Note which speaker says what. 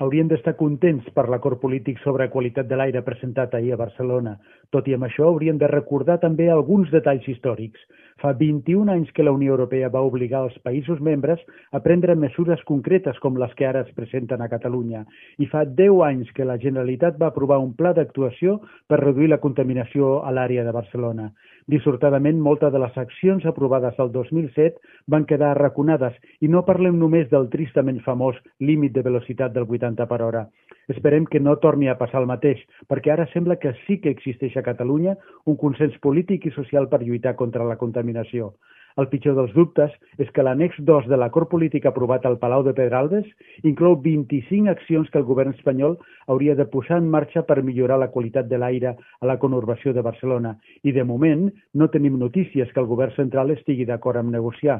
Speaker 1: Haurien d'estar contents per l'acord polític sobre qualitat de l'aire presentat ahir a Barcelona. Tot i amb això, haurien de recordar també alguns detalls històrics. Fa 21 anys que la Unió Europea va obligar els països membres a prendre mesures concretes com les que ara es presenten a Catalunya. I fa 10 anys que la Generalitat va aprovar un pla d'actuació per reduir la contaminació a l'àrea de Barcelona. Dissortadament, moltes de les accions aprovades el 2007 van quedar arraconades i no parlem només del tristament famós límit de velocitat del 80 per hora. Esperem que no torni a passar el mateix, perquè ara sembla que sí que existeix a Catalunya un consens polític i social per lluitar contra la contaminació. El pitjor dels dubtes és que l'annex 2 de l'acord polític aprovat al Palau de Pedralbes inclou 25 accions que el govern espanyol hauria de posar en marxa per millorar la qualitat de l'aire a la conurbació de Barcelona. I de moment no tenim notícies que el govern central estigui d'acord amb negociar.